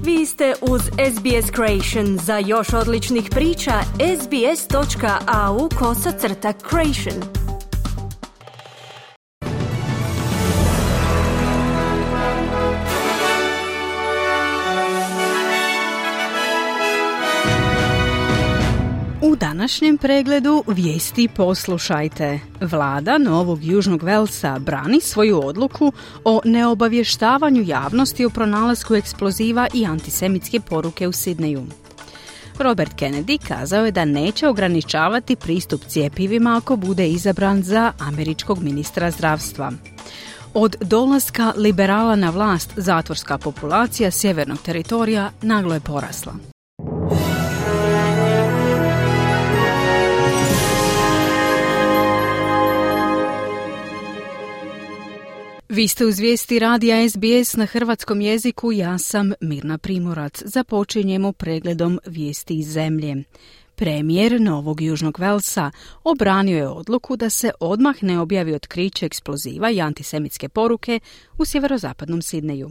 Vi ste uz SBS Creation. Za još odličnih priča, sbs.au/creation. U današnjem pregledu vijesti poslušajte. Vlada Novog Južnog Velsa brani svoju odluku o neobavještavanju javnosti o pronalasku eksploziva i antisemitske poruke u Sidneju. Robert Kennedy kazao je da neće ograničavati pristup cjepivima ako bude izabran za američkog ministra zdravstva. Od dolaska liberala na vlast zatvorska populacija sjevernog teritorija naglo je porasla. Vi ste uz vijesti radija SBS na hrvatskom jeziku, ja sam Mirna Primorac. Započinjemo pregledom vijesti iz zemlje. Premijer Novog Južnog Velsa obranio je odluku da se odmah ne objavi otkriće eksploziva i antisemitske poruke u sjeverozapadnom Sidneju.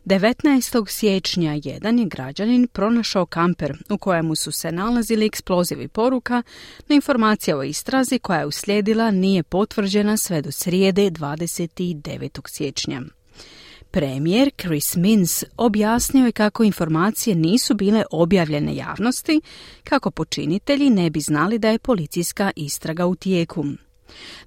19. siječnja jedan je građanin pronašao kamper u kojemu su se nalazili eksplozivi poruka, no informacija o istrazi koja je uslijedila nije potvrđena sve do srijede 29. siječnja. Premijer Chris Minns objasnio je kako informacije nisu bile objavljene javnosti, kako počinitelji ne bi znali da je policijska istraga u tijeku.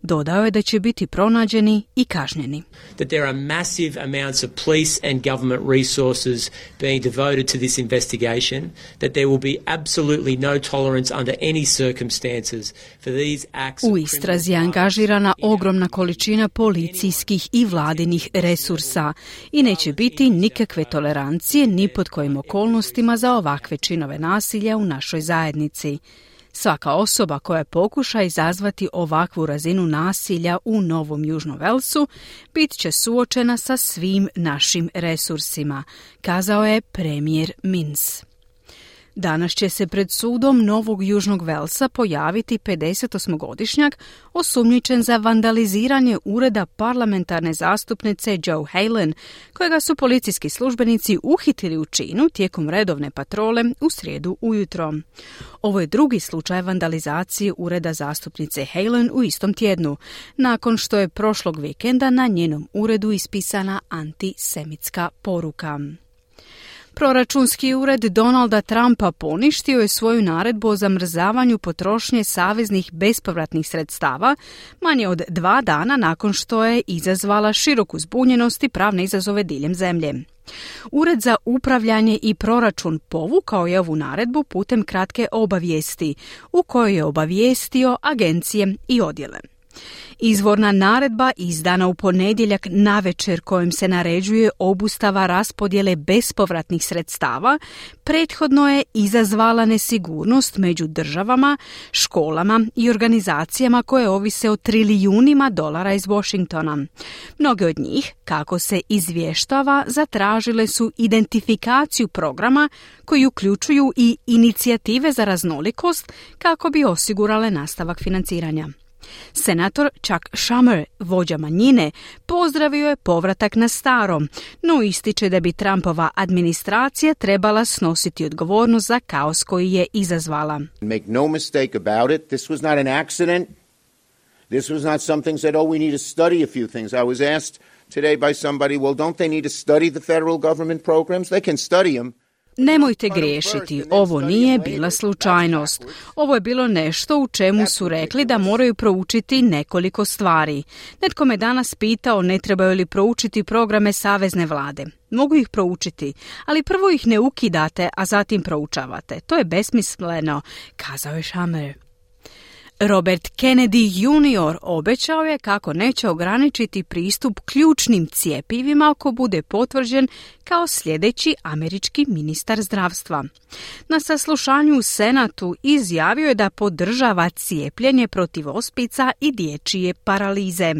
Dodao je da će biti pronađeni i kažnjeni. That there are massive amounts of police and government resources being devoted to this investigation, that there will be absolutely no tolerance under any circumstances for these acts. U istrazi je angažirana ogromna količina policijskih i vladinih resursa i neće biti nikakve tolerancije ni pod kojim okolnostima za ovakve činove nasilja u našoj zajednici. Svaka osoba koja pokuša izazvati ovakvu razinu nasilja u Novom Južnom Velsu bit će suočena sa svim našim resursima, kazao je premijer Minns. Danas će se pred sudom Novog Južnog Velsa pojaviti 58-godišnjak osumnjičen za vandaliziranje ureda parlamentarne zastupnice Joe Halen, kojega su policijski službenici uhitili u činu tijekom redovne patrole u srijedu ujutro. Ovo je drugi slučaj vandalizacije ureda zastupnice Halen u istom tjednu, nakon što je prošlog vikenda na njenom uredu ispisana antisemitska poruka. Proračunski ured Donalda Trumpa poništio je svoju naredbu o zamrzavanju potrošnje saveznih bespovratnih sredstava manje od 2 dana nakon što je izazvala široku zbunjenost i pravne izazove diljem zemlje. Ured za upravljanje i proračun povukao je ovu naredbu putem kratke obavijesti, u kojoj je obavijestio agencije i odjele. Izvorna naredba izdana u ponedjeljak navečer kojim se naređuje obustava raspodjele bespovratnih sredstava prethodno je izazvala nesigurnost među državama, školama i organizacijama koje ovise o trilijunima dolara iz Washingtona. Mnoge od njih, kako se izvještava, zatražile su identifikaciju programa koji uključuju i inicijative za raznolikost kako bi osigurale nastavak financiranja. Senator Chuck Schumer, vođa manjine, pozdravio je povratak na staro, no ističe da bi Trumpova administracija trebala snositi odgovornost za kaos koji je izazvala. Make no mistake about it, this was not an accident. This was not something that, we need to study a few things. I was asked today by somebody, don't they need to study the federal government programs? They can study them. Nemojte griješiti, ovo nije bila slučajnost. Ovo je bilo nešto u čemu su rekli da moraju proučiti nekoliko stvari. Netko me danas pitao ne trebaju li proučiti programe savezne vlade. Mogu ih proučiti, ali prvo ih ne ukidate, a zatim proučavate. To je besmisleno, kazao je Schumer. Robert Kennedy Jr. obećao je kako neće ograničiti pristup ključnim cjepivima ako bude potvrđen kao sljedeći američki ministar zdravstva. Na saslušanju u Senatu izjavio je da podržava cijepljenje protiv ospica i dječje paralize.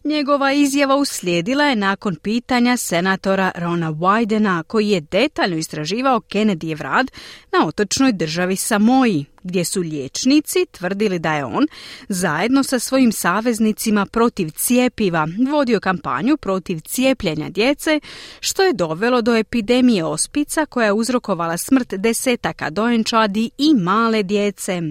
Njegova izjava uslijedila je nakon pitanja senatora Rona Wydena, koji je detaljno istraživao Kennedyjev rad na otočnoj državi Samoji, gdje su liječnici tvrdili da je on, zajedno sa svojim saveznicima protiv cijepiva, vodio kampanju protiv cijepljenja djece, što je dovelo do epidemije ospica koja je uzrokovala smrt desetaka dojenčadi i male djece.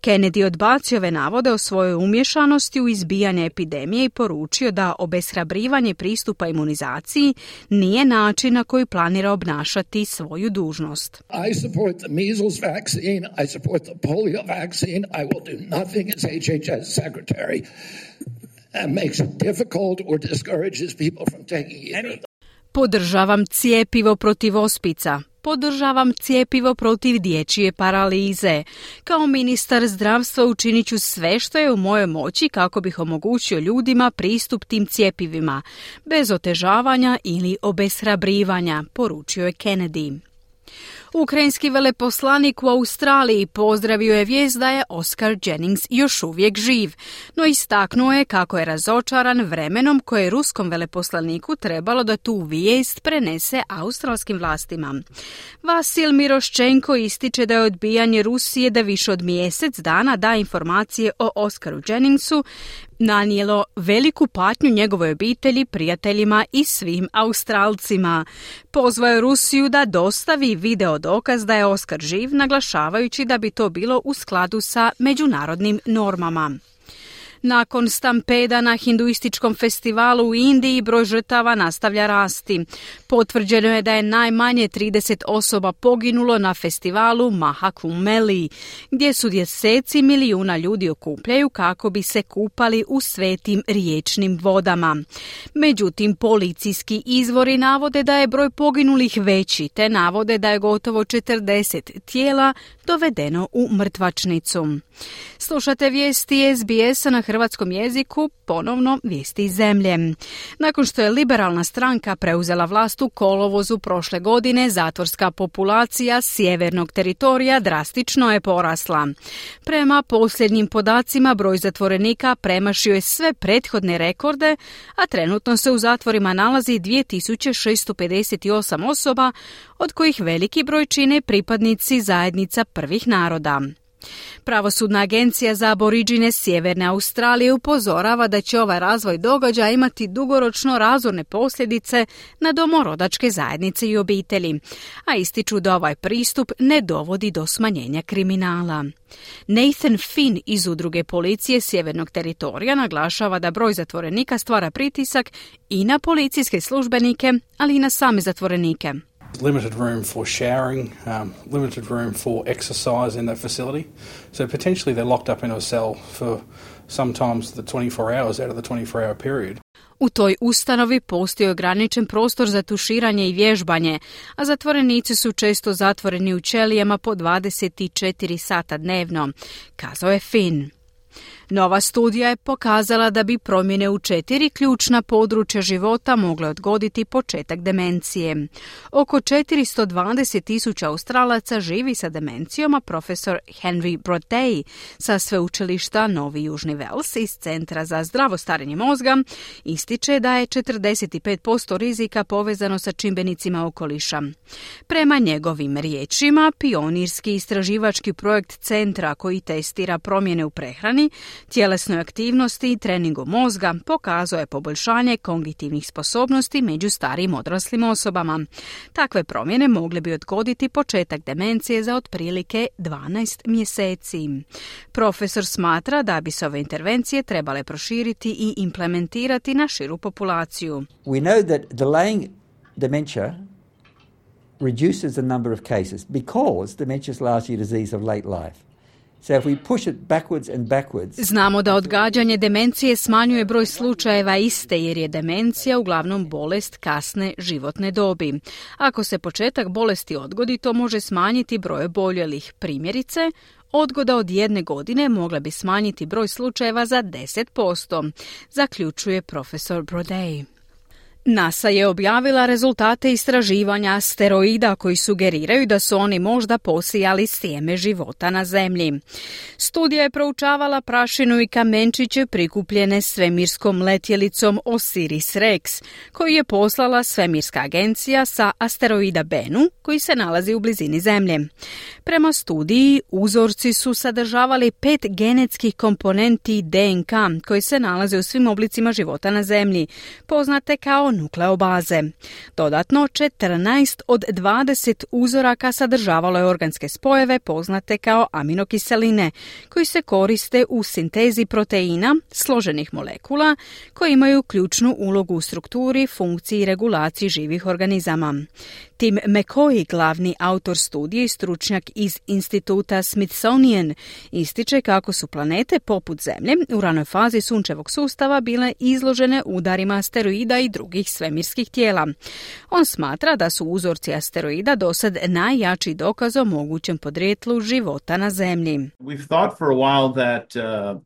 Kennedy odbacio ove navode o svojoj umješanosti u izbijanje epidemije i poručio da obeshrabrivanje pristupa imunizaciji nije način na koji planira obnašati svoju dužnost. I support the measles vaccine, I support the polio vaccine, I will do nothing as HHS secretary that makes it difficult or discourages people from taking either. Podržavam cijepivo protiv ospica. Podržavam cijepivo protiv dječje paralize. Kao ministar zdravstva učinit ću sve što je u mojoj moći kako bih omogućio ljudima pristup tim cjepivima, bez otežavanja ili obeshrabrivanja, poručio je Kennedy. Ukrajinski veleposlanik u Australiji pozdravio je vijest da je Oscar Jennings još uvijek živ, no istaknuo je kako je razočaran vremenom koje je ruskom veleposlaniku trebalo da tu vijest prenese australskim vlastima. Vasil Miroščenko ističe da je odbijanje Rusije da više od mjesec dana da informacije o Oscaru Jenningsu nanijelo veliku patnju njegovoj obitelji, prijateljima i svim Australcima. Pozvao je Rusiju da dostavi video dokaz da je Oscar živ, naglašavajući da bi to bilo u skladu sa međunarodnim normama. Nakon stampeda na hinduističkom festivalu u Indiji broj žrtava nastavlja rasti. Potvrđeno je da je najmanje 30 osoba poginulo na festivalu Mahakumbh Meli, gdje su deseci milijuna ljudi okupljaju kako bi se kupali u svetim riječnim vodama. Međutim, policijski izvori navode da je broj poginulih veći, te navode da je gotovo 40 tijela dovedeno u mrtvačnicu. Slušate vijesti SBS-a na hrvatskom jeziku, ponovno vijesti iz zemlje. Nakon što je liberalna stranka preuzela vlast u kolovozu prošle godine, zatvorska populacija sjevernog teritorija drastično je porasla. Prema posljednjim podacima, broj zatvorenika premašio je sve prethodne rekorde, a trenutno se u zatvorima nalazi 2658 osoba, od kojih veliki broj čine pripadnici zajednica prvih naroda. Pravosudna agencija za aboriđine Sjeverne Australije upozorava da će ovaj razvoj događaja imati dugoročno razorne posljedice na domorodačke zajednice i obitelji, a ističu da ovaj pristup ne dovodi do smanjenja kriminala. Nathan Finn iz udruge policije Sjevernog teritorija naglašava da broj zatvorenika stvara pritisak i na policijske službenike, ali i na same zatvorenike. Limited room for showering, limited room for exercise in that facility. So potentially they're locked up in a cell for sometimes the 24 hours out of the 24-hour period. U toj ustanovi postoji ograničen prostor za tuširanje i vježbanje, a zatvorenici su često zatvoreni u ćelijama po 24 sata dnevno, kazao je Finn. Nova studija je pokazala da bi promjene u 4 ključna područja života mogle odgoditi početak demencije. Oko 420,000 Australaca živi sa demencijom, a profesor Henry Brodey sa sveučilišta Novi Južni Vels iz Centra za zdravo starenje mozga ističe da je 45% rizika povezano sa čimbenicima okoliša. Prema njegovim riječima, pionirski istraživački projekt centra koji testira promjene u prehrani, tjelesnoj aktivnosti i treningu mozga pokazuje poboljšanje kognitivnih sposobnosti među starijim odraslim osobama. Takve promjene mogle bi odgoditi početak demencije za otprilike 12 mjeseci. Profesor smatra da bi se ove intervencije trebale proširiti i implementirati na širu populaciju. We know that delaying dementia reduces the number of cases because dementia is largely a disease of late life. So if we push it backwards and backwards. Znamo da odgađanje demencije smanjuje broj slučajeva iste jer je demencija uglavnom bolest kasne životne dobi. Ako se početak bolesti odgodi, to može smanjiti broj oboljelih. Primjerice, odgoda od 1 godine mogla bi smanjiti broj slučajeva za 10%, zaključuje profesor Brodey. NASA je objavila rezultate istraživanja asteroida koji sugeriraju da su oni možda posijali sjeme života na Zemlji. Studija je proučavala prašinu i kamenčiće prikupljene svemirskom letjelicom Osiris-Rex, koju je poslala svemirska agencija sa asteroida Bennu, koji se nalazi u blizini Zemlje. Prema studiji, uzorci su sadržavali 5 genetskih komponenti DNK koji se nalaze u svim oblicima života na Zemlji, poznate kao nukleobaze. Dodatno, 14 od 20 uzoraka sadržavalo je organske spojeve poznate kao aminokiseline, koji se koriste u sintezi proteina, složenih molekula, koji imaju ključnu ulogu u strukturi, funkciji i regulaciji živih organizama. Tim McCoy, glavni autor studije i stručnjak iz instituta Smithsonian, ističe kako su planete poput Zemlje u ranoj fazi sunčevog sustava bile izložene udarima asteroida i drugih svemirskih tijela. On smatra da su uzorci asteroida dosad najjači dokaz o mogućem podrijetlu života na Zemlji. We've thought for a while that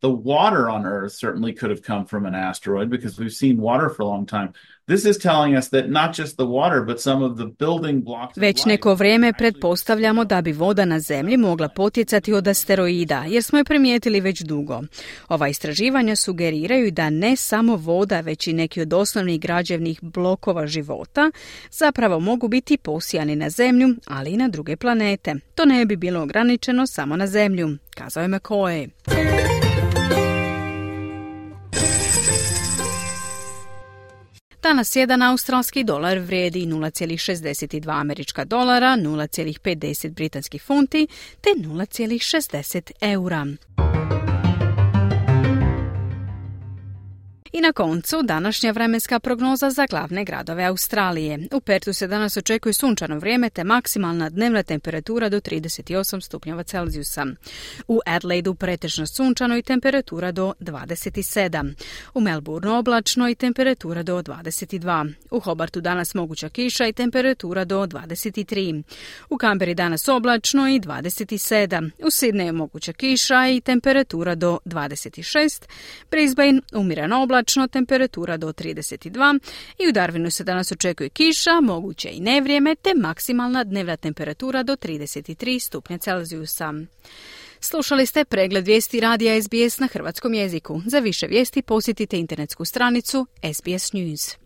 the water on Earth certainly could have come from an asteroid because we've seen water for a long time. This is telling us that not just the water, but some of the building blocks. Već neko vrijeme pretpostavljamo da bi voda na Zemlji mogla potjecati od asteroida, jer smo je primijetili već dugo. Ova istraživanja sugeriraju da ne samo voda, već i neki od osnovnih građevnih blokova života zapravo mogu biti posijani na Zemlju, ali i na druge planete. To ne bi bilo ograničeno samo na Zemlju, kazao je McCoy. Danas jedan australski dolar vrijedi 0,62 američka dolara, 0,50 britanskih funti te 0,60 eura. I na koncu današnja vremenska prognoza za glavne gradove Australije. U Pertu se danas očekuje sunčano vrijeme te maksimalna dnevna temperatura do 38 stupnjeva Celzijusa. U Adelaidu pretežno sunčano i temperatura do 27. U Melbourneu oblačno i temperatura do 22. U Hobartu danas moguća kiša i temperatura do 23. U Canberri danas oblačno i 27. U Sydneyu moguća kiša i temperatura do 26. Brisbane umjereno oblačno, temperatura do 32 i u Darwinu se danas očekuje kiša, moguće i nevrijeme, te maksimalna dnevna temperatura do 33 stupnja Celzijusa. Slušali ste pregled vijesti radija SBS na hrvatskom jeziku. Za više vijesti posjetite internetsku stranicu SBS News.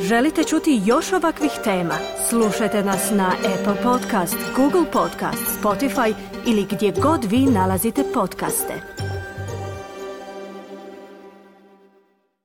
Želite čuti još ovakvih tema? Slušajte nas na Apple Podcast, Google Podcast, Spotify ili gdje god vi nalazite podcaste.